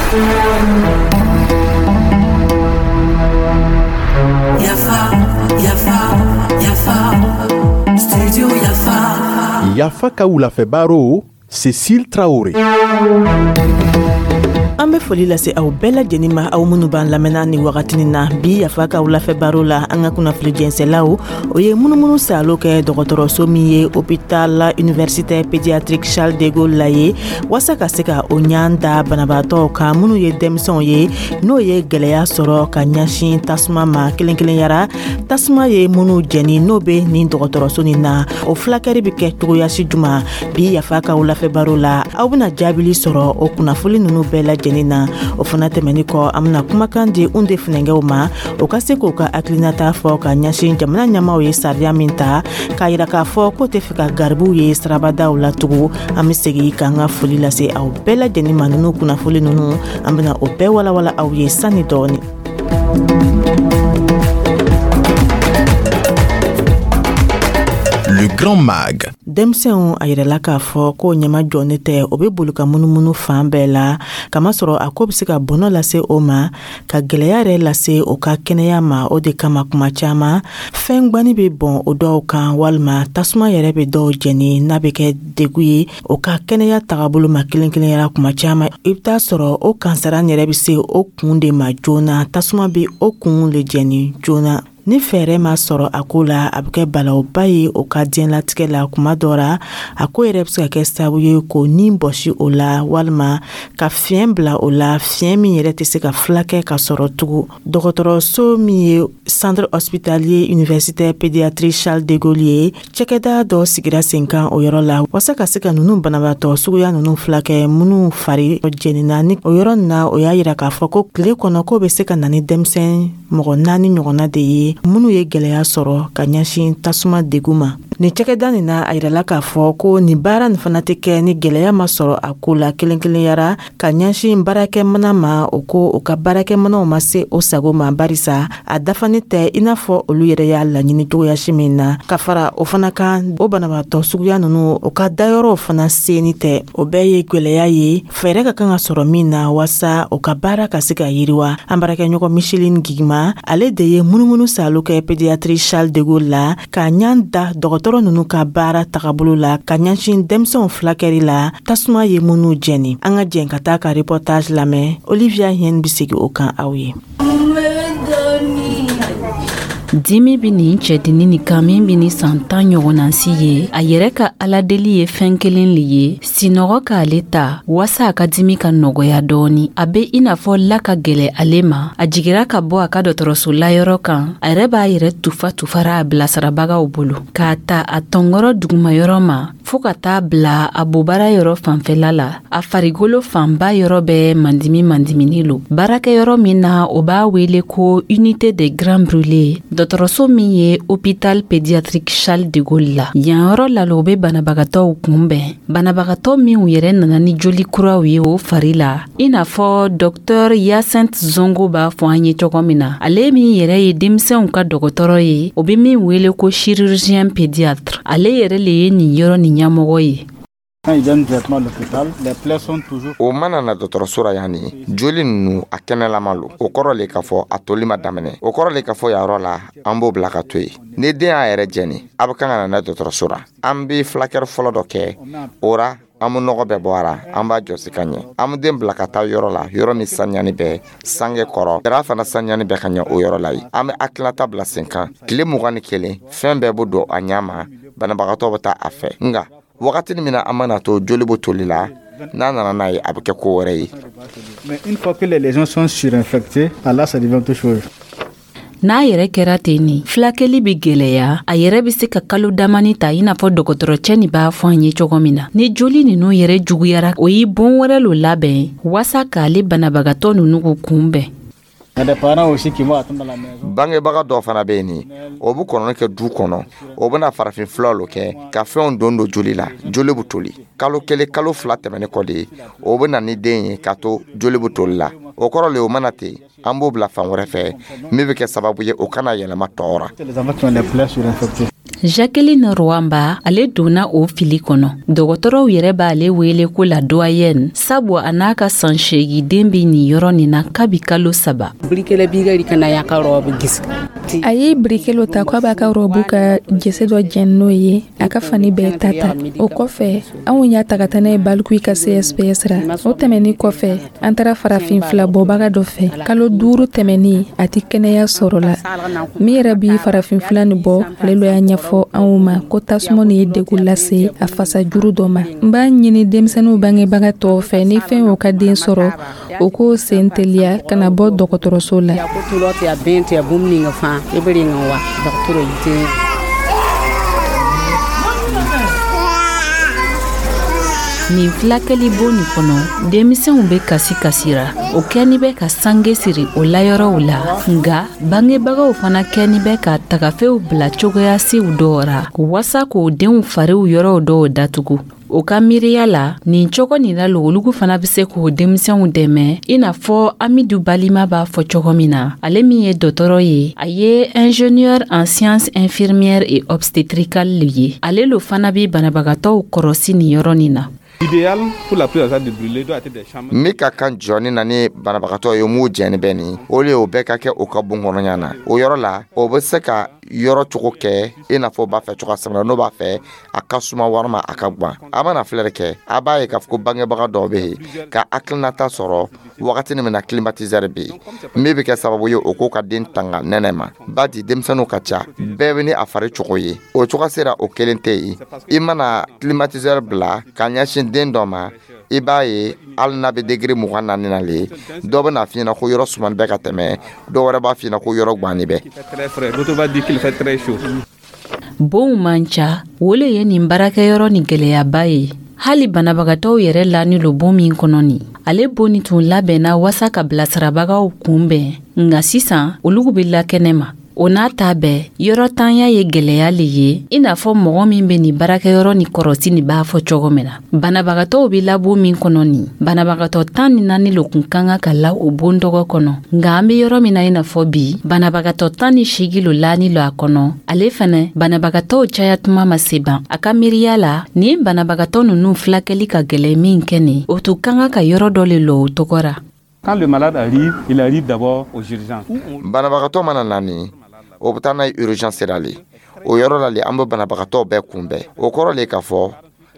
Yafa, Yafa, Yafa, Studio Yafa. Yafa ka wulafɛ baro, Cécile Traoré. An bɛ foli lase aw bɛɛ lajɛlen ma, aw minnu b'an lamɛnna ni wagatinin na. Bi Yafa ka wulafɛ baro la, an ka kunnafili jɛnsɛlaw, o ye munumunu salo kɛ dɔgɔtɔrɔso min ye Hôpital Universitaire Pédiatrique Charles de Gaulle la ye, waasa ka se ka o ɲan da banabaatɔw kan minnu ye denmisɛnw ye, n'o ye gwɛlɛya sɔrɔ ka ɲɛsin tasuma ma. Kelen kelenyara tasuma ye minnu jɛni, n'o bɛ nin dɔgɔtɔrɔso nin na, o fulakɛri bɛ kɛ cogoyasi juma? Bi Yafa ka wulafɛ baro la, aw bɛna jaabili sɔrɔ o kunnafoli ninnu bɛɛ lajɛlen na. O fana tɛmɛni kɔ, an bɛna kumakan di un de funɛngɛw ma, o ka se k'o ka hakilinata fɔ ka ɲɛsin jamana ɲɛmaw ye sariya min ta k'a yira k'a fɔ k'o tɛ fɛ ka garibuw ye sirabadaw la tugun. An bɛ segin k'an ka foli lase aw bɛɛ lajɛlen ma. Ninnu kunnafoli ninnu, an bɛna o bɛɛ walawala aw ye sani dɔɔni. Le Grand Mag. Denmisɛnw, a yirala k'a fɔ ko ɲɛma jɔni tɛ, o bɛ boli ka munumunu fan bɛɛ la, kamasɔrɔ a ko bɛ se ka bɔnɔ lase o ma, ka gwɛlɛya yɛrɛ lase o ka kɛnɛya ma. O de kama, kuma caman, fɛn gwani bɛ bɔn o dɔw kan, walima tasuma yɛrɛ bɛ dɔw jɛni, n'a bɛ kɛ degu ye o ka kɛnɛya tagabolo ma. Kelen kelenyara, kuma caman, i bɛ taa sɔrɔ o kansara yɛrɛ bɛ se o kun de ma joona, tasuma bɛ o kun le jɛni joona. Ni fɛɛrɛ ma sɔrɔ a ko la, a bɛ kɛ balawba ye o ka diɲɛlatigɛ la. Kuma dɔ ra, a ko yɛrɛ bɛ se ka kɛ sababu ye k'o ni bɔsi o la, walima ka fiɲɛ bila o la, fiɲɛ min yɛrɛ tɛ se ka fulakɛ ka sɔrɔ tugun. Dɔgɔtɔrɔso min ye Centre Hospitalier Universitaire Pédiatrie Charles de Gaulle ye, cakɛda dɔ sigira sen kan o yɔrɔ la, waasa ka se ka ninnu banabaatɔ suguya ninnu fulakɛ, minnu fari jɛnina ni o yɔrɔ nin na. O y'a yira k'a fɔ ko tile kɔnɔ, k'o bɛ se ka na ni denmisɛn mɔgɔ 4 ɲɔgɔnna de ye, minnu ye gwɛlɛya sɔrɔ ka ɲɛsin tasuma degu ma. Nin cakɛda nin na, a yirala k'a fɔ ko nin baara nin fana tɛ kɛ ni gwɛlɛya ma sɔrɔ a ko la, kelen kelenyara ka ɲɛsin baarakɛmana ma. O ko o ka baarakɛmanaw ma se o sago ma, barisa a dafani tɛ i n'a fɔ olu yɛrɛ y'a laɲini cogoyasi min na. Ka fara o fana kan, o banabaatɔ suguya ninnu, o ka dayɔrɔw fana seni tɛ. O bɛɛ ye gwɛlɛya ye, fɛɛrɛ ka kan ka sɔrɔ min na, waasa o ka baara ka se ka yiriwa. An baarakɛɲɔgɔn Micheline Gigima, ale de ye munumunu salo kɛ Pédiatrie Charles de Gaulle la, ka ɲan da dɔgɔtɔrɔ ninnu ka baara tagabolo la ka ɲɛsin denmisɛnw fulakɛri la, tasuma ye minnu jɛni. An ka jɛn ka taa ka reportage lamɛn. Olivia Hien bɛ segin o kan aw ye. Dimi bɛ nin cɛdennin nin kan min bɛ ni san 10 ɲɔgɔnna si ye. A yɛrɛ ka aladeli ye fɛn kelen le ye: sinɔgɔ k'ale ta, waasa a ka dimi ka nɔgɔya dɔɔni. A bɛ i n'a fɔ la ka gwɛlɛ ale ma. A jigira ka bɔ a ka dɔgɔtɔrɔso layɔrɔ kan, a yɛrɛ b'a yɛrɛ tufa tufara a bilasirabagaw bolo, k'a ta a tɔnkɔrɔ dugumayɔrɔ ma fɔɔ ka taa bila a bobara yɔrɔ fanfɛla la. A farigolo fanba yɔrɔ bɛɛ mandimi mandimini lo. Baarakɛyɔrɔ min na, o b'a wele ko Unité des Grands Brûlés, dɔgɔtɔrɔso min ye Hôpital Pédiatrique Charles de Gaulle la. Yan yɔrɔ la lo, o bɛ banabagatɔw kunbɛn, banabagatɔ minw yɛrɛ nana ni joli kuraw ye o fari la, i n'a fɔ Dɔktɔr Yacinthe Zongo b'a fɔ an ye cogo min na, ale min yɛrɛ ye denmisɛnw ka dɔgɔtɔrɔ ye, o bɛ min wele ko chirurgien pédiatre. Ale yɛrɛ le ye nin yɔrɔ nin ɲɛmɔgɔ ye. O mana na dɔgɔtɔrɔso ra yan ni joli ninnu, a kɛnɛlama lo. O kɔrɔ le k'a fɔ a toli ma daminɛ. O kɔrɔ le k'a fɔ yan yɔrɔ la, an b'o bila ka to yen. Ni den y'a yɛrɛ jɛni, a bɛ kan ka na n'a dɔgɔtɔrɔso ra, an bɛ fulakɛli fɔlɔ dɔ kɛ o ra. An bɛ nɔgɔ bɛɛ bɔ a ra, an b'a jɔsi ka ɲɛ, an bɛ den bila ka taa yɔrɔ la, yɔrɔ min saniyani bɛ sange kɔrɔ dara fana saniyani bɛ ka ɲɛ. O yɔrɔ la yen, an bɛ hakilinata bila sen kan. Tile 21, fɛn bɛɛ bɛ don a ɲɛ ma, banabagatɔ bɛ taa a fɛ. Nka wagati min na an mana to joli bɛ toli la, n'a nana n'a ye, a bɛ kɛ ko wɛrɛ ye. Mais une fois que les lésions sont surinfectées, là, ça devient autre chose. N'a yɛrɛ kɛra ten nin, fulakɛli bɛ gwɛlɛya. A yɛrɛ bɛ se ka kalo damani ta, i n'a fɔ dɔgɔtɔrɔcɛ nin b'a fɔ an ye cogo min na. Ni joli ninnu yɛrɛ juguyara, o ye bon wɛrɛ lo labɛn waasa k'ale banabagatɔ ninnu kunbɛn. Bangebaga dɔw fana bɛ yen nin, o bɛ kɔnɔni kɛ du kɔnɔ, o bɛna farafin furaw lo kɛ ka fɛnw don don joli la, joli bɛ toli. Kalo 1, kalo 2 tɛmɛnen kɔ de, o bɛ na ni den ye k'a to joli bɛ toli la. O kɔrɔ le, o mana ten, an b'o bila fan wɛrɛ fɛ, min bɛ kɛ sababu ye o kana yɛlɛma tɔw ra. Jacqueline Rwamba, ale donna o fili kɔnɔ. Dɔgɔtɔrɔw yɛrɛ b'ale wele ko la doyenne, sabu a n'a ka san 8 den bɛ nin yɔrɔ nin na kabi kalo 3. A ye birikelo ta ko a b'a ka rɔbu ka jese dɔ jɛni n'o ye, a ka fani bɛɛ ta ta. O kɔfɛ, anw y'a ta ka taa n'a ye Balikuyi ka CSPS ra. O tɛmɛni kɔfɛ, an taara farafin fila bɔbaga dɔ fɛ. Kalo 5 tɛmɛni, a tɛ kɛnɛya sɔrɔ la. Min yɛrɛ bi farafin fila nin bɔ, ale lo y'a ɲɛfɔ anw ma ko tasuma nin ye degun lase a fasajuru dɔ ma. N b'a ɲini denmisɛnninw bangebaga tɔw fɛ, ni fɛn y'o ka den sɔrɔ, o k'o sen teliya ka na bɔ dɔgɔtɔrɔso la. Nin filakɛlibon nin kɔnɔ, denmisɛnw bɛ kasi kasira. O kɛni bɛ ka sange siri o layɔrɔw la, nka bangebagaw fana kɛni bɛ ka tagafew bila cogoyasiw dɔw ra wasa k'o denw fariw yɔrɔw dɔw datugu. O ka miiriya la, nin cogo nin na logolugu fana bɛ se k'o denmisɛnw dɛmɛ, i n'a fɔ Amidu Balima b'a fɔ cogo min na. Ale min ye dɔgɔtɔrɔ ye, a ye ingénieur en sciences infirmières et obstétricales ye. Ale lo fana bɛ banabagatɔw kɔrɔsi nin yɔrɔ nin na. Min ka kan jɔni na ni banabagatɔ ye m'u jɛni bɛ nin, o le o bɛɛ ka kɛ o ka bon kɔnɔya na. O yɔrɔ la, o bɛ se ka yɔrɔ cogo kɛ i n'a fɔ b'a fɛ cogoya sɛbɛn n'o b'a fɛ a ka suma walima a ka gan. A mana filɛri kɛ, a b'a ye k'a fɔ ko bangebaga dɔw bɛ yen ka hakilinata sɔrɔ wagati min na climatiseur bɛ yen, min bɛ kɛ sababu ye o k'o ka den tanga nɛnɛ ma. Badi denmisɛnninw ka ca, bɛɛ bɛ ni a fari cogo ye, o cogo sera o kelen tɛ yen. I mana climatiseur bila ka ɲɛsin den dɔ ma, i b'a ye hali n'a bɛ degré 24 na le, dɔ bɛ n'a f'i ɲɛna ko yɔrɔ sumani bɛ ka tɛmɛ, dɔ wɛrɛ b'a f'i ɲɛna ko yɔrɔ ganni bɛ. Bonw man ca, o le ye nin baarakɛyɔrɔ nin gɛlɛyaba ye. Hali banabagatɔw yɛrɛ lani lo bon min kɔnɔ nin, ale bon nin tun labɛnna wasa ka bilasirabagaw kunbɛn, nka sisan olu bɛ la kɛnɛ ma. O n'a ta bɛɛ, yɔrɔ tanya ye gɛlɛya le ye, i n'a fɔ mɔgɔ min bɛ nin baarakɛyɔrɔ ni kɔrɔsi nin b'a fɔ cogo min na. Banabagatɔw bɛ labon min kɔnɔ nin, banabagatɔ 14 lo kun ka kan ka la o bon dɔgɔ kɔnɔ. Nka an bɛ yɔrɔ min na i n'a fɔ bi, banabagatɔ 18 lo lani lo a kɔnɔ. Ale fɛnɛ, banabagatɔw caya tuma ma se ban. A ka miiriya la, nin banabagatɔ ninnu filakɛli ka gɛlɛn min kɛ nin, o tun ka kan ka yɔrɔ dɔ le lɔ o tɔgɔ ra. Quand le malade arrive, il arrive d'abord aux urgences. Banabagatɔ mana na nin, o bɛ taa n'a ye urgence la le. O yɔrɔ la le, an bɛ banabagatɔ bɛɛ kunbɛn. O kɔrɔ le k'a fɔ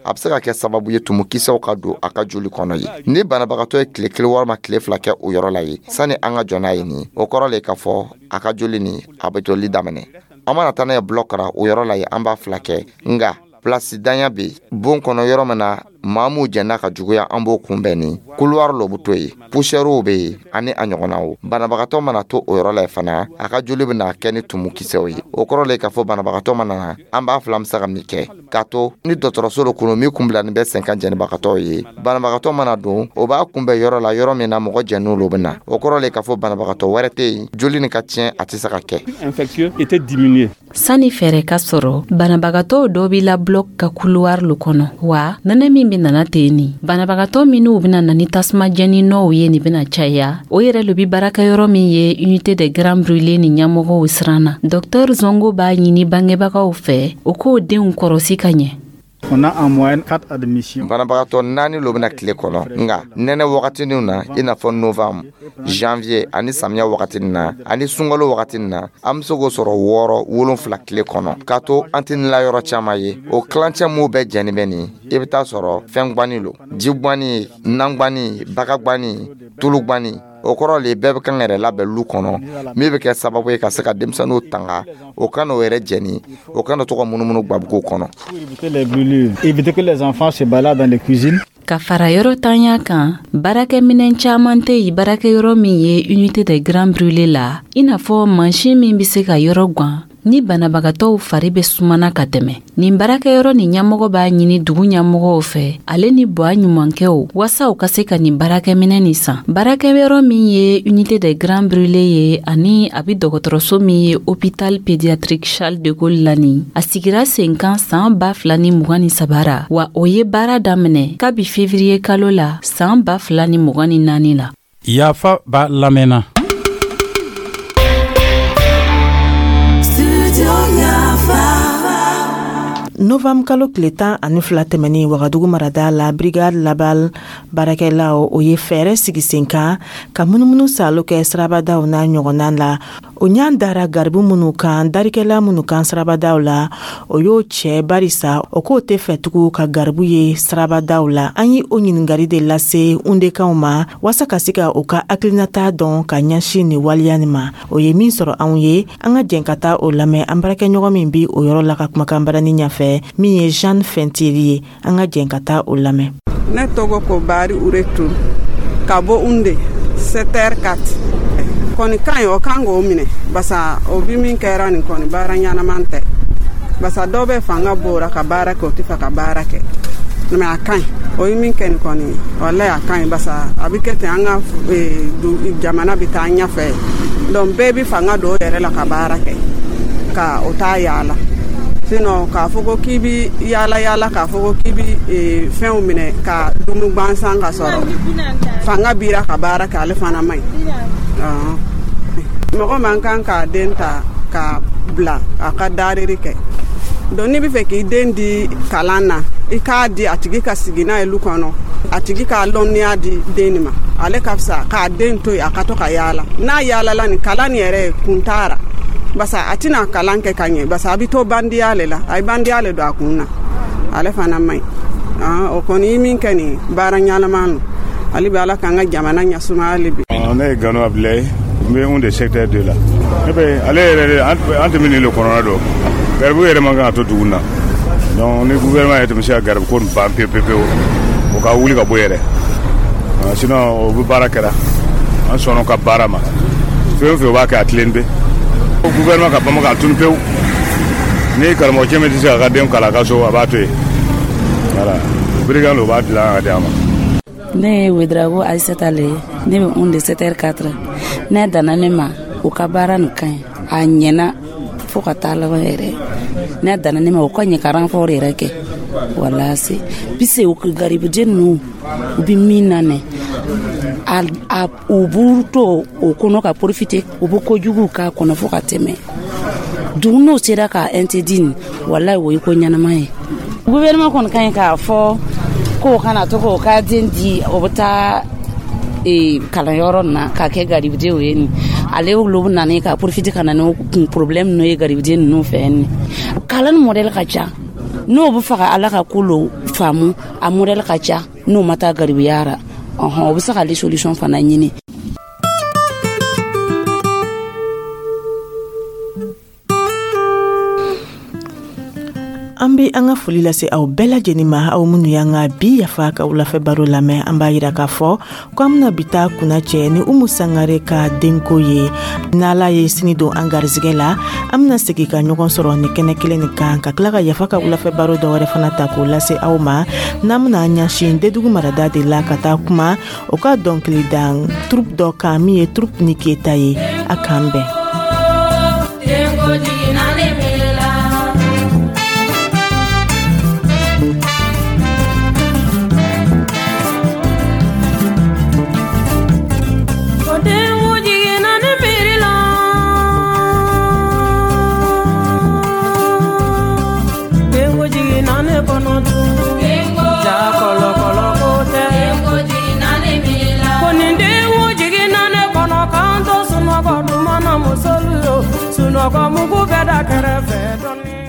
a bɛ se ka kɛ sababu ye tumukisɛw ka don a ka joli kɔnɔ ye. Ni banabagatɔ ye tile 1 walima tile 2 kɛ o yɔrɔ la ye, sani an ka jɔ n'a ye nin, o kɔrɔ le k'a fɔ a ka joli nin, a bɛ joli daminɛ. An mana taa n'a ye bloc ra, o yɔrɔ la ye, an b'a fila kɛ. Nka place danya bɛ yen bon kɔnɔ yɔrɔ min na, maa m'u jɛnna ka juguya, an b'o kunbɛn nin. Couloir lo bɛ to yen, poussière bɛ yen ani a ɲɔgɔnnaw. Banabagatɔ mana to o yɔrɔ la fana, a ka joli bɛna kɛ ni tumukisɛw ye. O kɔrɔ le k'a fɔ banabagatɔ mana na, an b'a fila bɛ se ka min kɛ k'a to ni dɔgɔtɔrɔso dɔ kɔnɔ min kun bilani bɛ sen kan jɛnibagatɔw ye. Banabagatɔ mana don, o b'a kunbɛn yɔrɔ la, yɔrɔ min na mɔgɔ jɛnniw lo bɛ na. O kɔrɔ le k'a fɔ banabagatɔ wɛrɛ tɛ yen, joli nin ka tiɲɛ, a tɛ se ka kɛ. Sani fɛɛrɛ ka sɔrɔ, banabagatɔw dɔ b'i la bloc ka couloir lo kɔnɔ. Wa nɛnɛ min bɛ nana ten nin, banabagatɔ minnu bɛna na ni tasuma jɛni nɔw ye nin bɛna caya. O yɛrɛ lo bi baarakɛyɔrɔ min ye unité des grands brûlés ni ɲɛmɔgɔw siran na. Docteur Zongo b'a ɲini bangebagaw fɛ, o k'o denw kɔrɔsi ka ɲɛ. On a en moyenne 4 admissions. Banabagatɔ 4 lo bɛna tile kɔnɔ, nka nɛnɛ wagatiniw na, i n'a fɔ novembre, janvier ani samiya wagatinin na ani sunkalo wagatinin na, an bɛ se k'o sɔrɔ 6, 7 tile kɔnɔ. K'a to an tɛ nila yɔrɔ caman ye, o kilancɛ m'u bɛɛ jɛni bɛ nin, i bɛ taa sɔrɔ fɛn gwani lo, ji gwani, nan gwani, baga gwani, tulu gwani. O kɔrɔ le bɛɛ bɛ kan yɛrɛ labɛn lu kɔnɔ, min bɛ kɛ sababu ye ka se ka denmisɛnninw tanga, o ka n'o yɛrɛ jɛni, o kana to ka munumunu gabugu kɔnɔ. Éviter que les enfants se baladent dans les cuisines. Ka fara yɔrɔ tanya kan, baarakɛminɛn caman tɛ yen baarakɛyɔrɔ min ye unité des grands brûlés la, i n'a fɔ mansin min bɛ se ka yɔrɔ gan ni banabagatɔw fari bɛ sumana ka tɛmɛ. Nin baarakɛyɔrɔ nin ɲɛmɔgɔ b'a ɲini dugu ɲɛmɔgɔw fɛ, ale ni buwa ɲumankɛw, wasa u ka se ka nin baarakɛminɛn nin san. Baarakɛyɔrɔ min ye unité des grands brûlés ye ani a bɛ dɔgɔtɔrɔso min ye hôpital pédiatrique Charles de Gaulle la nin, a sigira sen kan san 2023 ra, wa o ye baara daminɛ kabi février kalo la san 2024 la. Yafa b'a lamɛnna. Studio Yafa. Novembre kalo tile 12 tɛmɛnen, Wagadugu marada la, brigade labal baarakɛlaw, o ye fɛɛrɛ sigi sen kan ka munumunu salo kɛ sirabadaw n'a ɲɔgɔnna la. O ɲan dara garibu minnu kan, darikɛla minnu kan sirabadaw la, o y'o cɛ, barisa o k'o tɛ fɛ tugun ka garibu ye sirabadaw la. An ye o ɲininkali de lase Undekanw ma waasa ka se ka u ka hakilinata dɔn ka ɲɛsin nin waleya nin ma. O ye min sɔrɔ anw ye, an ka jɛn ka taa o lamɛn an baarakɛɲɔgɔn min bi o yɔrɔ la ka kumakan barani ɲɛfɛ, min ye Jeanne Fɛntiri ye. An ka jɛn ka taa o lamɛn. Ne tɔgɔ ko Bari Uretu ka bɔ Unde secteur 4. Kɔni ka ɲi, o kan k'o minɛ, basa o bi min kɛra nin kɔni, baara ɲɛnaman tɛ, basa dɔw bɛ fanga bɔra ka baara kɛ, o tɛ fɛ ka baara kɛ. Mais a ka ɲi, o ye min kɛ nin kɔni, walayi a ka ɲi, basa a bɛ kɛ ten, an ka jamana bɛ taa ɲɛfɛ. Donc bɛɛ bɛ fanga don o yɛrɛ la ka baara kɛ, ka o t'a yaala. Sinon k'a fɔ ko k'i bi yaala yaala, k'a fɔ ko k'i bi fɛnw minɛ ka dumu gansan, ka sɔrɔ fanga bira ka baara kɛ, ale fana man ɲi. Mɔgɔ man kan k'a den ta ka bila a ka dariri kɛ. Donc n'i bɛ fɛ k'i den di kalan na, i k'a di a tigi ka sigi n'a ye lu kɔnɔ, a tigi k'a lɔnniya di den nin ma. Ale ka fisa k'a den to yen a ka to ka yaala. N'a yaalala nin, kalan nin yɛrɛ kun t'a ra, basa a tɛna kalan kɛ ka ɲɛ, basa a bɛ to bandiya le la, a ye bandiya le don a kun na, ale fana man ɲi. O kɔni ye min kɛ nin, baara ɲɛnama don. Ale bɛ Ala k'an ka jamana ɲɛsuma hali bi. Ne ye Gano Abilaye, n bɛ Unde secteur 2 la. Ne bɛ ale yɛrɛ, an tɛ min le kɔnɔna dɔn, garibu yɛrɛ man kan ka to dugu na. Donc ni gouvernement yɛrɛ tun bɛ se ka garibu ko nin ban pewu pewu pewu, o ka wuli ka bɔ yɛrɛ. Sinon o bɛ baara kɛra, an sɔnna ka baara ma, fɛn o fɛn o b'a kɛ, a tilen bɛ. Gouvernement ka bama k'a tunu pewu. Ni karamɔgɔcɛ min tɛ se k'a ka den kalan a ka so, a b'a to yen. Voilà, brigade o b'a dilan ka di a ma. Ne ye Wedrago Aisata le ye, ne bɛ Unde secteur 4. Ne danna ne ma, u ka baara nin ka ɲi, a ɲɛna fo ka taa laban yɛrɛ. Ne danna ne ma, u ka ɲɛ ka renfort yɛrɛ kɛ walase bise u garibuden ninnu, u bɛ min na nɛ, a u b'u to o kɔnɔ ka profiter, u bɛ kojuguw k'a kɔnɔ fo ka tɛmɛ dugu. N'o sera ka interdit nin, walayi o ye ko ɲɛnama ye. Gouvernement kɔni ka ɲi k'a fɔ k'o kana to k'o ka den di, o bɛ taa kalanyɔrɔ na ka kɛ garibudenw ye. Nin ale olu bɛ na ni ka profiter ka na ni kun problème ninnu ye garibuden ninnu fɛ. Nin kalan modèle ka ca, n'o bɛ fɛ ka Ala ka ko lo faamu, a modèle ka ca. N'o ma taa garibuya ra, ɔhɔn, o bɛ se k'ale solution fana ɲini. An be an ka foli lase aw bɛɛ lajɛnin ma, aw minnu y'an ka bi Yafa ka wulafɛ baro lamɛn. An b'a yira k'a fɔ ko an bena bi ta kunna cɛ ni Umu Sangare ka denko ye. N'Ala ye sini don an garizigɛ la, an bena segi ka ɲɔgɔn sɔrɔ ni kɛnɛ kelen nin kan, ka tila ka Yafa ka wulafɛ baro dɔwɛrɛ fana ta k'o lase aw ma, n'an bena ɲasin Dedugu marada de la, ka taa kuma o ka dɔnkilidan troupe dɔ kan, min ye troupe Niketa ye. A k'an bɛn. Sunɔgɔ mugu bɛ da kɛrɛfɛ dɔɔni.